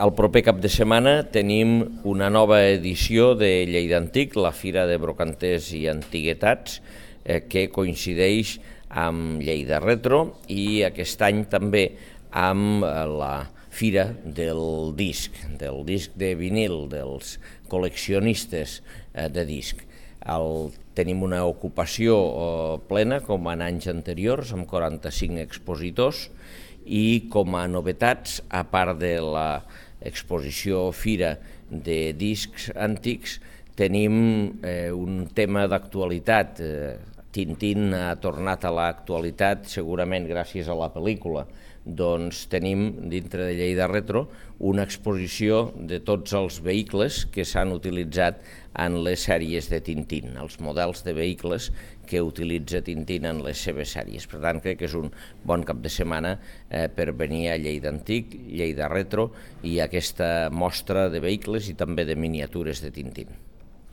El proper cap de setmana tenim una nova edició de Lleida Antic, la Fira de Brocanters i Antiguitats, que coincideix amb Lleida Retro i aquest any també amb la Fira del disc de vinil, dels col·leccionistes de disc. Tenim una ocupació plena, com en anys anteriors, amb 45 expositors, i com a novetats, a part de l'exposició Fira de discs antics, tenim un tema d'actualitat. Tintín ha tornat a l'actualitat, segurament gràcies a la pel·lícula. Doncs tenim, dintre de Lleida Retro, una exposició de tots els vehicles que s'han utilitzat en les sèries de Tintín, els models de vehicles que utilitza Tintín en les seves sèries. Per tant, crec que és un bon cap de setmana per venir a Lleida Antic, Lleida Retro i aquesta mostra de vehicles i també de miniatures de Tintín.